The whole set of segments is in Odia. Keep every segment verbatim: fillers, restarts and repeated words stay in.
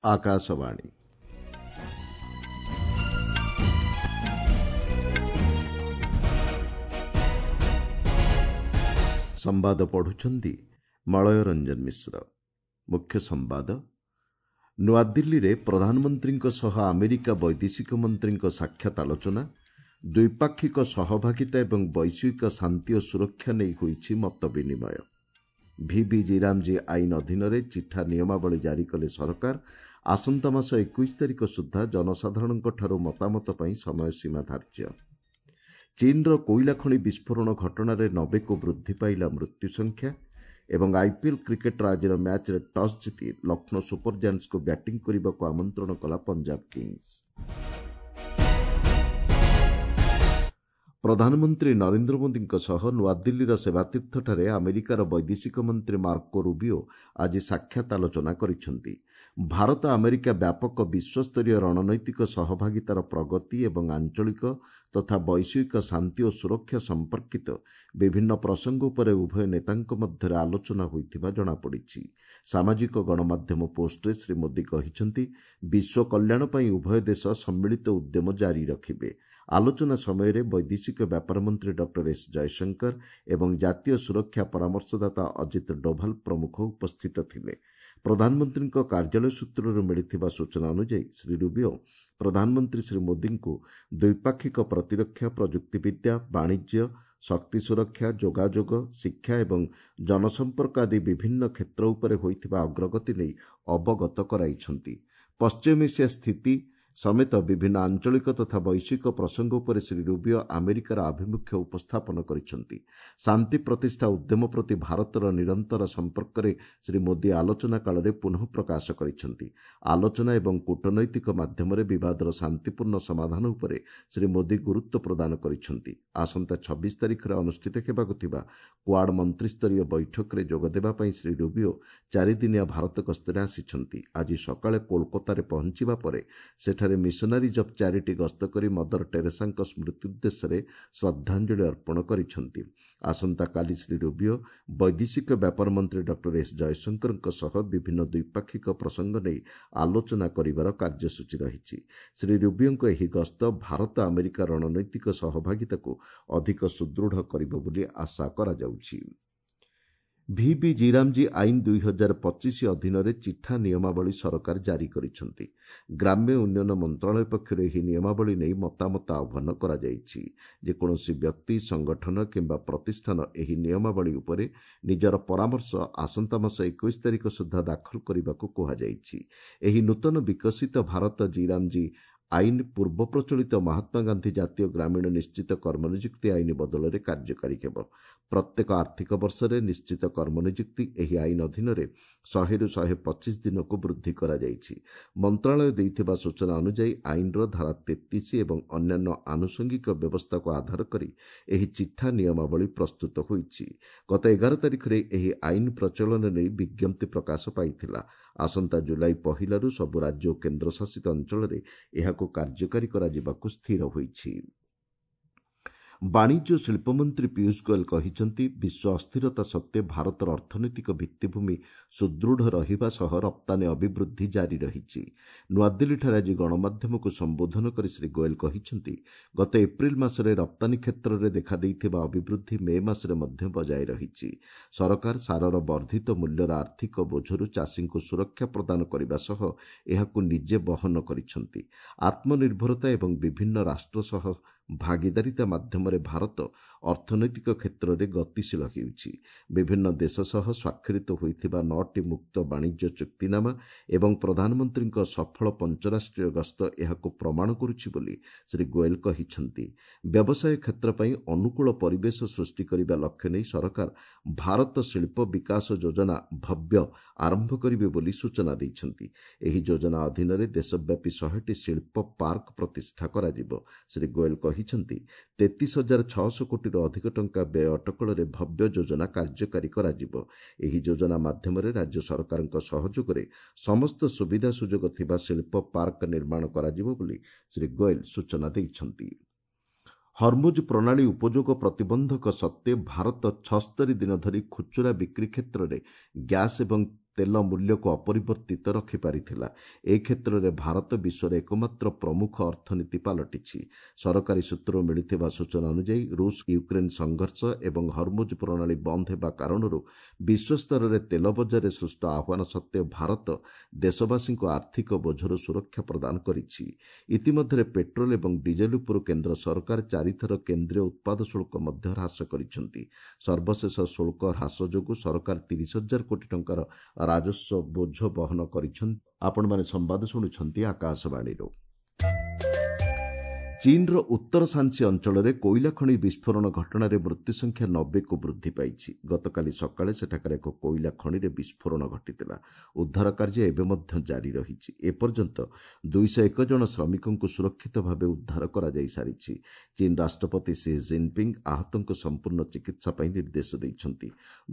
ଆକାଶବାଣୀ। ସମ୍ବାଦ ପଢୁଛନ୍ତି ମଳୟ ରଞ୍ଜନ ମିଶ୍ର। ମୁଖ୍ୟ ସମ୍ବାଦ। ନୂଆଦିଲ୍ଲୀରେ ପ୍ରଧାନମନ୍ତ୍ରୀଙ୍କ ସହ ଆମେରିକା ବୈଦେଶିକ ମନ୍ତ୍ରୀଙ୍କ ସାକ୍ଷାତ ଆଲୋଚନା। ଦ୍ୱିପାକ୍ଷିକ ସହଭାଗିତା ଏବଂ ବୈଶ୍ୱିକ ଶାନ୍ତି ଓ ସୁରକ୍ଷା ନେଇ ହୋଇଛି ମତ ବିନିମୟ। ଭିବି ଜିରାମଜୀ ଆଇନ ଅଧୀନରେ ଚିଠା ନିୟମାବଳୀ ଜାରି କଲେ ସରକାର। ଆସନ୍ତା ମାସ ଏକୋଇଶ ତାରିଖ ସୁଦ୍ଧା ଜନସାଧାରଣଙ୍କଠାରୁ ମତାମତ ପାଇଁ ସମୟସୀମା ଧାର୍ଯ୍ୟ। ଚୀନର କୋଇଲା ଖଣି ବିସ୍ଫୋରଣ ଘଟଣାରେ ନବେକୁ ବୃଦ୍ଧି ପାଇଲା ମୃତ୍ୟୁ ସଂଖ୍ୟା। ଏବଂ ଆଇପିଏଲ୍ କ୍ରିକେଟ୍ର ଆଜିର ମ୍ୟାଚ୍ରେ ଟସ୍ ଜିତି ଲକ୍ଷ୍ନୌ ସୁପର ଜାଏଣ୍ଟସ୍କୁ ବ୍ୟାଟିଂ କରିବାକୁ ଆମନ୍ତ୍ରଣ କଲା ପଞ୍ଜାବ କିଙ୍ଗସ୍। ପ୍ରଧାନମନ୍ତ୍ରୀ ନରେନ୍ଦ୍ର ମୋଦିଙ୍କ ସହ ନୂଆଦିଲ୍ଲୀର ସେବାତୀର୍ଥଠାରେ ଆମେରିକାର ବୈଦେଶିକ ମନ୍ତ୍ରୀ ମାର୍କୋ ରୁବିଓ ଆଜି ସାକ୍ଷାତ ଆଲୋଚନା କରିଛନ୍ତି। ଭାରତ ଆମେରିକା ବ୍ୟାପକ ବିଶ୍ୱସ୍ତରୀୟ ରଣନୈତିକ ସହଭାଗିତାର ପ୍ରଗତି ଏବଂ ଆଞ୍ଚଳିକ ତଥା ବୈଶ୍ୱିକ ଶାନ୍ତି ଓ ସୁରକ୍ଷା ସମ୍ପର୍କିତ ବିଭିନ୍ନ ପ୍ରସଙ୍ଗ ଉପରେ ଉଭୟ ନେତାଙ୍କ ମଧ୍ୟରେ ଆଲୋଚନା ହୋଇଥିବା ଜଣାପଡ଼ିଛି। ସାମାଜିକ ଗଣମାଧ୍ୟମ ପୋଷ୍ଟରେ ଶ୍ରୀ ମୋଦି କହିଛନ୍ତି, ବିଶ୍ୱ କଲ୍ୟାଣ ପାଇଁ ଉଭୟ ଦେଶ ସମ୍ମିଳିତ ଉଦ୍ୟମ ଜାରି ରଖିବେ। ଆଲୋଚନା ସମୟରେ ବୈଦେଶିକ ବ୍ୟାପାର ମନ୍ତ୍ରୀ ଡକ୍ଟର ଏସ୍ ଜୟଶଙ୍କର ଏବଂ ଜାତୀୟ ସୁରକ୍ଷା ପରାମର୍ଶଦାତା ଅଜିତ ଡୋଭାଲ ପ୍ରମୁଖ ଉପସ୍ଥିତ ଥିଲେ। ପ୍ରଧାନମନ୍ତ୍ରୀଙ୍କ କାର୍ଯ୍ୟାଳୟ ସୂତ୍ରରୁ ମିଳିଥିବା ସୂଚନା ଅନୁଯାୟୀ ଶ୍ରୀ ରୁବିଓ ପ୍ରଧାନମନ୍ତ୍ରୀ ଶ୍ରୀ ମୋଦିଙ୍କୁ ଦ୍ୱିପାକ୍ଷିକ ପ୍ରତିରକ୍ଷା, ପ୍ରଯୁକ୍ତିବିଦ୍ୟା, ବାଣିଜ୍ୟ, ଶକ୍ତି ସୁରକ୍ଷା, ଯୋଗାଯୋଗ, ଶିକ୍ଷା ଏବଂ ଜନସମ୍ପର୍କ ଆଦି ବିଭିନ୍ନ କ୍ଷେତ୍ର ଉପରେ ହୋଇଥିବା ଅଗ୍ରଗତି ନେଇ ଅବଗତ କରାଇଛନ୍ତି। ପଶ୍ଚିମ ଏସିଆ ସ୍ଥିତି ସମେତ ବିଭିନ୍ନ ଆଞ୍ଚଳିକ ତଥା ବୈଶ୍ୱିକ ପ୍ରସଙ୍ଗ ଉପରେ ଶ୍ରୀ ରୁବିଓ ଆମେରିକାର ଆଭିମୁଖ୍ୟ ଉପସ୍ଥାପନ କରିଛନ୍ତି। ଶାନ୍ତି ପ୍ରତିଷ୍ଠା ଉଦ୍ୟମ ପ୍ରତି ଭାରତର ନିରନ୍ତର ସମ୍ପର୍କରେ ଶ୍ରୀ ମୋଦି ଆଲୋଚନା କାଳରେ ପୁନଃ ପ୍ରକାଶ କରିଛନ୍ତି। ଆଲୋଚନା ଏବଂ କୂଟନୈତିକ ମାଧ୍ୟମରେ ବିବାଦର ଶାନ୍ତିପୂର୍ଣ୍ଣ ସମାଧାନ ଉପରେ ଶ୍ରୀ ମୋଦି ଗୁରୁତ୍ୱ ପ୍ରଦାନ କରିଛନ୍ତି। ଆସନ୍ତା ଛବିଶ ତାରିଖରେ ଅନୁଷ୍ଠିତ ହେବାକୁ ଥିବା କ୍ୱାଡ୍ ମନ୍ତ୍ରିସ୍ତରୀୟ ବୈଠକରେ ଯୋଗଦେବା ପାଇଁ ଶ୍ରୀ ରୁବିଓ ଚାରିଦିନିଆ ଭାରତ ଗସ୍ତରେ ଆସିଛନ୍ତି। ଆଜି ସକାଳେ କୋଲକାତାରେ ପହଞ୍ଚିବା ପରେ ସେଠାରେ ମିଶନାରିଜ୍ ଅଫ୍ ଚାରିଟି ଗସ୍ତ କରି ମଦର ଟେରେସାଙ୍କ ସ୍ମୃତି ଉଦ୍ଦେଶ୍ୟରେ ଶ୍ରଦ୍ଧାଞ୍ଜଳି ଅର୍ପଣ କରିଛନ୍ତି। ଆସନ୍ତାକାଲି ଶ୍ରୀ ରୁବିଓ ବୈଦେଶିକ ବ୍ୟାପାର ମନ୍ତ୍ରୀ ଡକ୍ଟର ଏସ୍ ଜୟଶଙ୍କରଙ୍କ ସହ ବିଭିନ୍ନ ଦ୍ୱିପାକ୍ଷିକ ପ୍ରସଙ୍ଗ ନେଇ ଆଲୋଚନା କରିବାର କାର୍ଯ୍ୟସୂଚୀ ରହିଛି। ଶ୍ରୀ ରୁବିଓଙ୍କ ଏହି ଗସ୍ତ ଭାରତ ଆମେରିକା ରଣନୈତିକ ସହଭାଗିତାକୁ ଅଧିକ ସୁଦୃଢ଼ କରିବ ବୋଲି ଆଶା କରାଯାଉଛି। ଭିବି ଜିରାମଜୀ ଆଇନ ଦୁଇ ହଜାର ପଚିଶ ଅଧୀନରେ ଚିଠା ନିୟମାବଳୀ ସରକାର ଜାରି କରିଛନ୍ତି। ଗ୍ରାମ୍ୟ ଉନ୍ନୟନ ମନ୍ତ୍ରଣାଳୟ ପକ୍ଷରୁ ଏହି ନିୟମାବଳୀ ନେଇ ମତାମତ ଆହ୍ୱାନ କରାଯାଇଛି। ଯେକୌଣସି ବ୍ୟକ୍ତି, ସଂଗଠନ କିମ୍ବା ପ୍ରତିଷ୍ଠାନ ଏହି ନିୟମାବଳୀ ଉପରେ ନିଜର ପରାମର୍ଶ ଆସନ୍ତା ମାସ ଏକୋଇଶ ତାରିଖ ସୁଦ୍ଧା ଦାଖଲ କରିବାକୁ କୁହାଯାଇଛି। ଏହି ନୂତନ ବିକଶିତ ଭାରତ ଜିରାମଜୀ ଆଇନ ପୂର୍ବ ପ୍ରଚଳିତ ମହାତ୍ମା ଗାନ୍ଧୀ ଜାତୀୟ ଗ୍ରାମୀଣ ନିଶ୍ଚିତ କର୍ମନିଯୁକ୍ତି ଆଇନ ବଦଳରେ କାର୍ଯ୍ୟକାରୀ ହେବ। ପ୍ରତ୍ୟେକ ଆର୍ଥିକ ବର୍ଷରେ ନିଶ୍ଚିତ କର୍ମନିଯୁକ୍ତି ଏହି ଆଇନ ଅଧୀନରେ ଶହେରୁ ଶହେ ପଚିଶ ଦିନକୁ ବୃଦ୍ଧି କରାଯାଇଛି। ମନ୍ତ୍ରଣାଳୟ ଦେଇଥିବା ସୂଚନା ଅନୁଯାୟୀ ଆଇନର ଧାରା ତେତିଶ ଏବଂ ଅନ୍ୟାନ୍ୟ ଆନୁଷଙ୍ଗିକ ବ୍ୟବସ୍ଥାକୁ ଆଧାର କରି ଏହି ଚିଠା ନିୟମାବଳୀ ପ୍ରସ୍ତୁତ ହୋଇଛି। ଗତ ଏଗାର ତାରିଖରେ ଏହି ଆଇନ ପ୍ରଚଳନ ନେଇ ବିଜ୍ଞପ୍ତି ପ୍ରକାଶ ପାଇଥିଲା। ଆସନ୍ତା ଜୁଲାଇ ପହିଲାରୁ ସବୁ ରାଜ୍ୟ ଓ କେନ୍ଦ୍ରଶାସିତ ଅଞ୍ଚଳରେ ଏହାକୁ କାର୍ଯ୍ୟକାରୀ କରାଯିବାକୁ ସ୍ଥିର ହୋଇଛି। ବାଣିଜ୍ୟ ଓ ଶିଳ୍ପମନ୍ତ୍ରୀ ପୀୟୁଷ ଗୋଏଲ କହିଛନ୍ତି, ବିଶ୍ୱ ଅସ୍ଥିରତା ସତ୍ତ୍ୱେ ଭାରତର ଅର୍ଥନୈତିକ ଭିତ୍ତିଭୂମି ସୁଦୃଢ଼ ରହିବା ସହ ରପ୍ତାନୀ ଅଭିବୃଦ୍ଧି ଜାରି ରହିଛି। ନୂଆଦିଲ୍ଲୀଠାରେ ଆଜି ଗଣମାଧ୍ୟମକୁ ସମ୍ବୋଧନ କରି ଶ୍ରୀ ଗୋଏଲ କହିଛନ୍ତି, ଗତ ଏପ୍ରିଲ ମାସରେ ରପ୍ତାନୀ କ୍ଷେତ୍ରରେ ଦେଖାଦେଇଥିବା ଅଭିବୃଦ୍ଧି ମେ ମାସରେ ମଧ୍ୟ ବଜାୟ ରହିଛି। ସରକାର ସାରର ବର୍ଦ୍ଧିତ ମୂଲ୍ୟର ଆର୍ଥିକ ବୋଝରୁ ଚାଷୀଙ୍କୁ ସୁରକ୍ଷା ପ୍ରଦାନ କରିବା ସହ ଏହାକୁ ନିଜେ ବହନ କରିଛନ୍ତି। ଆତ୍ମନିର୍ଭରତା ଏବଂ ବିଭିନ୍ନ ରାଷ୍ଟ୍ର ସହ ଭାଗିଦାରିତା ମାଧ୍ୟମରେ ଭାରତ ଅର୍ଥନୈତିକ କ୍ଷେତ୍ରରେ ଗତିଶୀଳ ହେଉଛି। ବିଭିନ୍ନ ଦେଶ ସହ ସ୍ୱାକ୍ଷରିତ ହୋଇଥିବା ନଅଟି ମୁକ୍ତ ବାଣିଜ୍ୟ ଚୁକ୍ତିନାମା ଏବଂ ପ୍ରଧାନମନ୍ତ୍ରୀଙ୍କ ସଫଳ ପଞ୍ଚରାଷ୍ଟ୍ରୀୟ ଗସ୍ତ ଏହାକୁ ପ୍ରମାଣ କରୁଛି ବୋଲି ଶ୍ରୀ ଗୋଏଲ କହିଛନ୍ତି। ବ୍ୟବସାୟ କ୍ଷେତ୍ର ପାଇଁ ଅନୁକୂଳ ପରିବେଶ ସୃଷ୍ଟି କରିବା ଲକ୍ଷ୍ୟ ନେଇ ସରକାର ଭାରତ ଶିଳ୍ପ ବିକାଶ ଯୋଜନା ଭବ୍ୟ ଆରମ୍ଭ କରିବେ ବୋଲି ସୂଚନା ଦେଇଛନ୍ତି। ଏହି ଯୋଜନା ଅଧୀନରେ ଦେଶବ୍ୟାପୀ ଶହେଟି ଶିଳ୍ପ ପାର୍କ ପ୍ରତିଷ୍ଠା କରାଯିବ। ଶ୍ରୀ ଗୋଏଲ କହିଛନ୍ତି, ତେତିଶ ହଜାର ଛଅଶହ କୋଟିରୁ ଅଧିକ ଟଙ୍କା ବ୍ୟୟ ଅଟକଳରେ ଭବ୍ୟ ଯୋଜନା କାର୍ଯ୍ୟକାରୀ କରାଯିବ। ଏହି ଯୋଜନା ମାଧ୍ୟମରେ ରାଜ୍ୟ ସରକାରଙ୍କ ସହଯୋଗରେ ସମସ୍ତ ସୁବିଧା ସୁଯୋଗ ଥିବା ଶିଳ୍ପ ପାର୍କ ନିର୍ମାଣ କରାଯିବ ବୋଲି ଶ୍ରୀ ଗୋଏଲ ସୂଚନା ଦେଇଛନ୍ତି। ହର୍ମୁଜ ପ୍ରଣାଳୀ ଉପଯୋଗ ପ୍ରତିବନ୍ଧକ ସତ୍ତ୍ୱେ ଭାରତ ଛସ୍ତରୀ ଦିନ ଧରି ଖୁଚୁରା ବିକ୍ରି କ୍ଷେତ୍ରରେ ଗ୍ୟାସ୍ ଏବଂ ତେଲ ମୂଲ୍ୟକୁ ଅପରିବର୍ତ୍ତିତ ରଖିପାରିଥିଲା। ଏ କ୍ଷେତ୍ରରେ ଭାରତ ବିଶ୍ୱର ଏକମାତ୍ର ପ୍ରମୁଖ ଅର୍ଥନୀତି ପାଲଟିଛି। ସରକାରୀ ସୂତ୍ରରୁ ମିଳିଥିବା ସୂଚନା ଅନୁଯାୟୀ ରୁଷ ୟୁକ୍ରେନ୍ ସଂଘର୍ଷ ଏବଂ ହରମୁଜ ପ୍ରଣାଳୀ ବନ୍ଦ ହେବା କାରଣରୁ ବିଶ୍ୱସ୍ତରରେ ତେଲ ବଜାରରେ ସୃଷ୍ଟ ଆହ୍ୱାନ ସତ୍ତ୍ୱେ ଭାରତ ଦେଶବାସୀଙ୍କୁ ଆର୍ଥିକ ବୋଝରୁ ସୁରକ୍ଷା ପ୍ରଦାନ କରିଛି। ଇତିମଧ୍ୟରେ ପେଟ୍ରୋଲ ଏବଂ ଡିଜେଲ ଉପରୁ କେନ୍ଦ୍ର ସରକାର ଚାରିଥର କେନ୍ଦ୍ରୀୟ ଉତ୍ପାଦ ଶୁଳ୍କ ମଧ୍ୟ ହ୍ରାସ କରିଛନ୍ତି। ସର୍ବଶେଷ ଶୁଳ୍କ ହ୍ରାସ ଯୋଗୁଁ ସରକାର ତିରିଶ ହଜାର କୋଟି ଟଙ୍କାର ରାଜସ୍ୱ ବୋଝ ବହନ କରିଛନ୍ତି। ଆପଣମାନେ ସମ୍ବାଦ ଶୁଣୁଛନ୍ତି ଆକାଶବାଣୀରୁ। ଚୀନର ଉତ୍ତର ସାନ୍ସି ଅଞ୍ଚଳରେ କୋଇଲା ଖଣି ବିସ୍ଫୋରଣ ଘଟଣାରେ ମୃତ୍ୟୁ ସଂଖ୍ୟା ନବେକୁ ବୃଦ୍ଧି ପାଇଛି। ଗତକାଲି ସକାଳେ ସେଠାକାର ଏକ କୋଇଲା ଖଣିରେ ବିସ୍ଫୋରଣ ଘଟିଥିଲା। ଉଦ୍ଧାର କାର୍ଯ୍ୟ ଏବେ ମଧ୍ୟ ଜାରି ରହିଛି। ଏପର୍ଯ୍ୟନ୍ତ ଦୁଇଶହ ଏକ ଜଣ ଶ୍ରମିକଙ୍କୁ ସୁରକ୍ଷିତ ଭାବେ ଉଦ୍ଧାର କରାଯାଇ ସାରିଛି। ଚୀନ ରାଷ୍ଟ୍ରପତି ସି ଜିନପିଙ୍ଗ ଆହତଙ୍କୁ ସମ୍ପୂର୍ଣ୍ଣ ଚିକିତ୍ସା ପାଇଁ ନିର୍ଦ୍ଦେଶ ଦେଇଛନ୍ତି।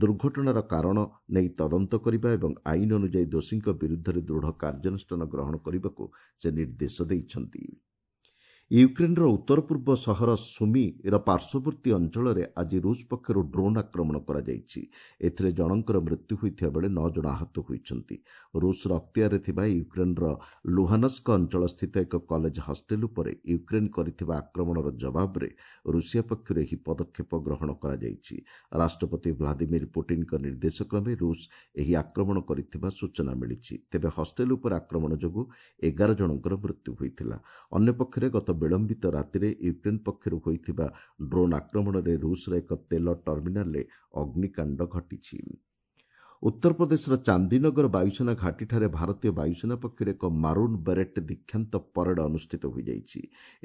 ଦୁର୍ଘଟଣାର କାରଣ ନେଇ ତଦନ୍ତ କରିବା ଏବଂ ଆଇନ ଅନୁଯାୟୀ ଦୋଷୀଙ୍କ ବିରୁଦ୍ଧରେ ଦୃଢ଼ କାର୍ଯ୍ୟାନୁଷ୍ଠାନ ଗ୍ରହଣ କରିବାକୁ ସେ ନିର୍ଦ୍ଦେଶ ଦେଇଛନ୍ତି। ୟୁକ୍ରେନ୍ର ଉତ୍ତର ପୂର୍ବ ସହର ସୁମିର ପାର୍ଶ୍ୱବର୍ତ୍ତୀ ଅଞ୍ଚଳରେ ଆଜି ରୁଷ ପକ୍ଷରୁ ଡ୍ରୋନ୍ ଆକ୍ରମଣ କରାଯାଇଛି। ଏଥିରେ ଜଣଙ୍କର ମୃତ୍ୟୁ ହୋଇଥିବା ବେଳେ ନଅ ଜଣ ଆହତ ହୋଇଛନ୍ତି। ରୁଷର ଅକ୍ତିଆରରେ ଥିବା ୟୁକ୍ରେନ୍ର ଲୁହାନସ୍କ ଅଞ୍ଚଳସ୍ଥିତ ଏକ କଲେଜ ହଷ୍ଟେଲ ଉପରେ ୟୁକ୍ରେନ୍ କରିଥିବା ଆକ୍ରମଣର ଜବାବରେ ରୁଷିଆ ପକ୍ଷରୁ ଏହି ପଦକ୍ଷେପ ଗ୍ରହଣ କରାଯାଇଛି। ରାଷ୍ଟ୍ରପତି ଭ୍ଲାଦିମିର ପୁଟିନ୍ଙ୍କ ନିର୍ଦ୍ଦେଶକ୍ରମେ ରୁଷ ଏହି ଆକ୍ରମଣ କରିଥିବା ସୂଚନା ମିଳିଛି। ତେବେ ହଷ୍ଟେଲ ଉପରେ ଆକ୍ରମଣ ଯୋଗୁଁ ଏଗାର ଜଣଙ୍କର ମୃତ୍ୟୁ ହୋଇଥିଲା। ଅନ୍ୟପକ୍ଷରେ ଗତ ବିଳମ୍ବିତ ରାତିରେ ୟୁକ୍ରେନ୍ ପକ୍ଷରୁ ହୋଇଥିବା ଡ୍ରୋନ୍ ଆକ୍ରମଣରେ ରୁଷର ଏକ ତେଲ ଟର୍ମିନାଲରେ ଅଗ୍ନିକାଣ୍ଡ ଘଟିଛି। ଉତ୍ତରପ୍ରଦେଶର ଚାନ୍ଦିନଗର ବାୟୁସେନା ଘାଟିଠାରେ ଭାରତୀୟ ବାୟୁସେନା ପକ୍ଷରୁ ଏକ ମାରୁନ୍ ବେରେଟ୍ ଦୀକ୍ଷାନ୍ତ ପରେଡ୍ ଅନୁଷ୍ଠିତ ହୋଇଯାଇଛି।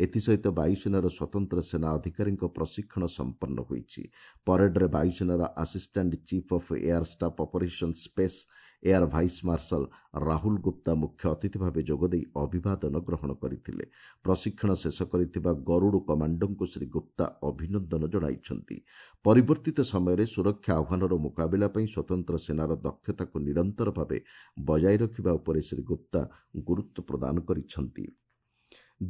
ଏଥିସହିତ ବାୟୁସେନାର ସ୍ୱତନ୍ତ୍ର ସେନା ଅଧିକାରୀଙ୍କ ପ୍ରଶିକ୍ଷଣ ସମ୍ପନ୍ନ ହୋଇଛି। ପରେଡ୍ରେ ବାୟୁସେନାର assistant chief of air staff operation space air vice marshal Rahul Gupta ମୁଖ୍ୟ ଅତିଥି ଭାବେ ଯୋଗଦେଇ ଅଭିବାଦନ ଗ୍ରହଣ କରିଥିଲେ। ପ୍ରଶିକ୍ଷଣ ଶେଷ କରିଥିବା ଗରୁଡ଼ କମାଣ୍ଡୋଙ୍କୁ ଶ୍ରୀ ଗୁପ୍ତା ଅଭିନନ୍ଦନ ଜଣାଇଛନ୍ତି। ପରିବର୍ତ୍ତିତ ସମୟରେ ସୁରକ୍ଷା ଆହ୍ୱାନର ମୁକାବିଲା ପାଇଁ ସ୍ୱତନ୍ତ୍ର ସେନାର ଦକ୍ଷତାକୁ ନିରନ୍ତର ଭାବେ ବଜାୟ ରଖିବା ଉପରେ ଶ୍ରୀ ଗୁପ୍ତା ଗୁରୁତ୍ୱ ପ୍ରଦାନ କରିଛନ୍ତି।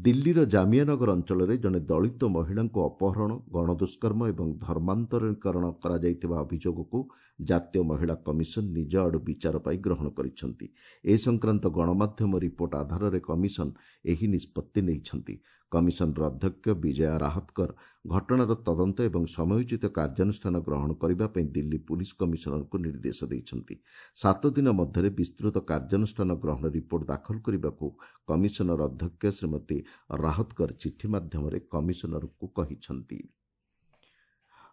ଦିଲ୍ଲୀର ଜାମିଆନଗର ଅଞ୍ଚଳରେ ଜଣେ ଦଳିତ ମହିଳାଙ୍କୁ ଅପହରଣ, ଗଣଦୁଷ୍କର୍ମ ଏବଂ ଧର୍ମାନ୍ତରୀକରଣ କରାଯାଇଥିବା ଅଭିଯୋଗକୁ ଜାତୀୟ ମହିଳା କମିଶନ ନିଜ ଆଡ଼ୁ ବିଚାର ପାଇଁ ଗ୍ରହଣ କରିଛନ୍ତି। ଏ ସଂକ୍ରାନ୍ତ ଗଣମାଧ୍ୟମ ରିପୋର୍ଟ ଆଧାରରେ କମିଶନ ଏହି ନିଷ୍ପତ୍ତି ନେଇଛନ୍ତି। କମିଶନର ଅଧ୍ୟକ୍ଷ ବିଜୟା ରାହତକର ଘଟଣାର ତଦନ୍ତ ଏବଂ ସମୟୋଚିତ କାର୍ଯ୍ୟାନୁଷ୍ଠାନ ଗ୍ରହଣ କରିବା ପାଇଁ ଦିଲ୍ଲୀ ପୁଲିସ କମିଶନରଙ୍କୁ ନିର୍ଦ୍ଦେଶ ଦେଇଛନ୍ତି। ସାତ ଦିନ ମଧ୍ୟରେ ବିସ୍ତୃତ କାର୍ଯ୍ୟାନୁଷ୍ଠାନ ଗ୍ରହଣ ରିପୋର୍ଟ ଦାଖଲ କରିବାକୁ କମିଶନର ଅଧ୍ୟକ୍ଷ ଶ୍ରୀମତୀ ରାହତକର ଚିଠି ମାଧ୍ୟମରେ କମିଶନରଙ୍କୁ କହିଛନ୍ତି।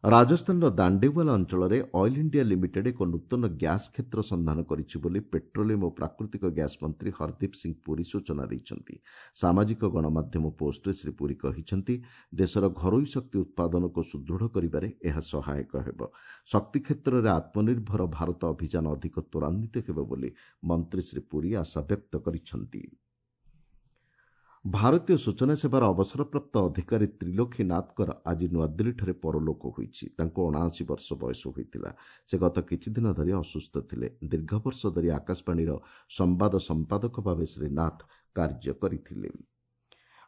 ରାଜସ୍ଥାନର ଦାଣ୍ଡେୱାଲା ଅଞ୍ଚଳରେ ଅଏଲ୍ ଇଣ୍ଡିଆ ଲିମିଟେଡ୍ ଏକ ନୂତନ ଗ୍ୟାସ୍ କ୍ଷେତ୍ର ସନ୍ଧାନ କରିଛି ବୋଲି ପେଟ୍ରୋଲିୟମ ଓ ପ୍ରାକୃତିକ ଗ୍ୟାସ୍ ମନ୍ତ୍ରୀ ହରଦୀପ ସିଂ ପୁରୀ ସୂଚନା ଦେଇଛନ୍ତି। ସାମାଜିକ ଗଣମାଧ୍ୟମ ପୋଷ୍ଟରେ ଶ୍ରୀ ପୁରୀ କହିଛନ୍ତି, ଦେଶର ଘରୋଇ ଶକ୍ତି ଉତ୍ପାଦନକୁ ସୁଦୃଢ଼ କରିବାରେ ଏହା ସହାୟକ ହେବ। ଶକ୍ତି କ୍ଷେତ୍ରରେ ଆତ୍ମନିର୍ଭର ଭାରତ ଅଭିଯାନ ଅଧିକ ତ୍ୱରାନ୍ୱିତ ହେବ ବୋଲି ମନ୍ତ୍ରୀ ଶ୍ରୀ ପୁରୀ ଆଶା ବ୍ୟକ୍ତ କରିଛନ୍ତି। ଭାରତୀୟ ସୂଚନା ସେବାର ଅବସରପ୍ରାପ୍ତ ଅଧିକାରୀ ତ୍ରିଲୋକୀ ନାଥଙ୍କର ଆଜି ନୂଆଦିଲ୍ଲୀଠାରେ ପରଲୋକ ହୋଇଛି। ତାଙ୍କୁ ଅଣାଅଶୀ ବର୍ଷ ବୟସ ହୋଇଥିଲା। ସେ ଗତ କିଛିଦିନ ଧରି ଅସୁସ୍ଥ ଥିଲେ। ଦୀର୍ଘ ବର୍ଷ ଧରି ଆକାଶବାଣୀର ସମ୍ବାଦ ସମ୍ପାଦକ ଭାବେ ଶ୍ରୀ ନାଥ କାର୍ଯ୍ୟ କରିଥିଲେ।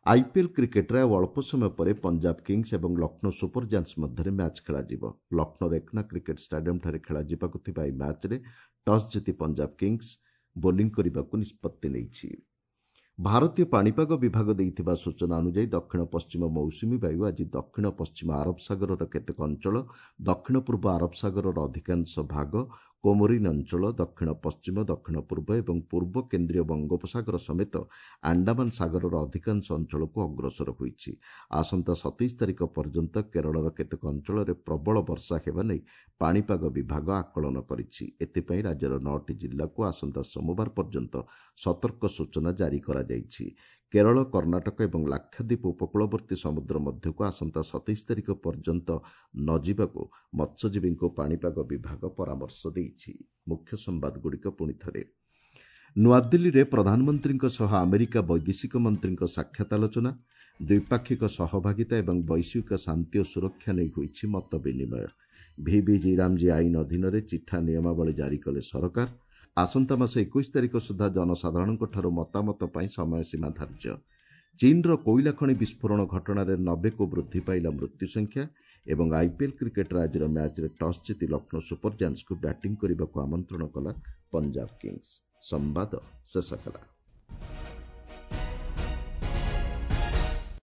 ଆଇପିଏଲ୍ କ୍ରିକେଟ୍ରେ ଆଉ ଅଳ୍ପ ସମୟ ପରେ ପଞ୍ଜାବ କିଙ୍ଗସ୍ ଏବଂ ଲକ୍ଷ୍ନୌ ସୁପର ଜାୟାଣ୍ଟସ୍ ମଧ୍ୟରେ ମ୍ୟାଚ୍ ଖେଳାଯିବ। ଲକ୍ଷ୍ନୌର ଏକନା କ୍ରିକେଟ୍ ଷ୍ଟାଡିୟମ୍ଠାରେ ଖେଳାଯିବାକୁ ଥିବା ଏହି ମ୍ୟାଚ୍ରେ ଟସ୍ ଜିତି ପଞ୍ଜାବ କିଙ୍ଗସ୍ ବୋଲିଂ କରିବାକୁ ନିଷ୍ପତ୍ତି ନେଇଛି। ଭାରତୀୟ ପାଣିପାଗ ବିଭାଗ ଦେଇଥିବା ସୂଚନା ଅନୁଯାୟୀ ଦକ୍ଷିଣ ପଶ୍ଚିମ ମୌସୁମୀ ବାୟୁ ଆଜି ଦକ୍ଷିଣ ପଶ୍ଚିମ ଆରବ ସାଗରର କେତେକ ଅଞ୍ଚଳ, ଦକ୍ଷିଣ ପୂର୍ବ ଆରବ ସାଗରର ଅଧିକାଂଶ ଭାଗ, କୋମୋରିନ୍ ଅଞ୍ଚଳ, ଦକ୍ଷିଣ ପଶ୍ଚିମ, ଦକ୍ଷିଣ ପୂର୍ବ ଏବଂ ପୂର୍ବ କେନ୍ଦ୍ରୀୟ ବଙ୍ଗୋପସାଗର ସମେତ ଆଣ୍ଡାମାନ ସାଗରର ଅଧିକାଂଶ ଅଞ୍ଚଳକୁ ଅଗ୍ରସର ହୋଇଛି। ଆସନ୍ତା ସତେଇଶ ତାରିଖ ପର୍ଯ୍ୟନ୍ତ କେରଳର କେତେକ ଅଞ୍ଚଳରେ ପ୍ରବଳ ବର୍ଷା ହେବା ନେଇ ପାଣିପାଗ ବିଭାଗ ଆକଳନ କରିଛି। ଏଥିପାଇଁ ରାଜ୍ୟର ନଅଟି ଜିଲ୍ଲାକୁ ଆସନ୍ତା ସୋମବାର ପର୍ଯ୍ୟନ୍ତ ସତର୍କ ସୂଚନା ଜାରି କରାଯାଇଛି। କେରଳ, କର୍ଣ୍ଣାଟକ ଏବଂ ଲାକ୍ଷାଦ୍ୱୀପ ଉପକୂଳବର୍ତ୍ତୀ ସମୁଦ୍ର ମଧ୍ୟକୁ ଆସନ୍ତା ସତେଇଶ ତାରିଖ ପର୍ଯ୍ୟନ୍ତ ନ ଯିବାକୁ ମତ୍ସ୍ୟଜୀବୀଙ୍କୁ ପାଣିପାଗ ବିଭାଗ ପରାମର୍ଶ ଦେଇଛି। ମୁଖ୍ୟ ସମ୍ବାଦଗୁଡ଼ିକ ପୁଣି ଥରେ। ନୂଆଦିଲ୍ଲୀରେ ପ୍ରଧାନମନ୍ତ୍ରୀଙ୍କ ସହ ଆମେରିକା ବୈଦେଶିକ ମନ୍ତ୍ରୀଙ୍କ ସାକ୍ଷାତ ଆଲୋଚନା। ଦ୍ୱିପାକ୍ଷିକ ସହଭାଗିତା ଏବଂ ବୈଶ୍ୱିକ ଶାନ୍ତି ଓ ସୁରକ୍ଷା ନେଇ ହୋଇଛି ମତ ବିନିମୟ। ଭିବିଜି ରାମଜୀ ଆଇନ ଅଧୀନରେ ଚିଠା ନିୟମାବଳୀ ଜାରି କଲେ ସରକାର। ଆସନ୍ତା ମାସ ଏକୋଇଶ ତାରିଖ ସୁଦ୍ଧା ଜନସାଧାରଣଙ୍କଠାରୁ ମତାମତ ପାଇଁ ସମୟସୀମା ଧାର୍ଯ୍ୟ। ଚୀନର କୋଇଲା ଖଣି ବିସ୍ଫୋରଣ ଘଟଣାରେ ନବେକୁ ବୃଦ୍ଧି ପାଇଲା ମୃତ୍ୟୁ ସଂଖ୍ୟା ଏବଂ ଆଇପିଏଲ୍ କ୍ରିକେଟ୍ର ଆଜିର ମ୍ୟାଚ୍ରେ ଟସ୍ ଜିତି ଲକ୍ଷ୍ନୌ ସୁପର ଜାୟାଣ୍ଟସ୍କୁ ବ୍ୟାଟିଂ କରିବାକୁ ଆମନ୍ତ୍ରଣ କଲା ପଞ୍ଜାବ କିଙ୍ଗସ୍। ସମ୍ବାଦ ଶେଷ ହେଲା।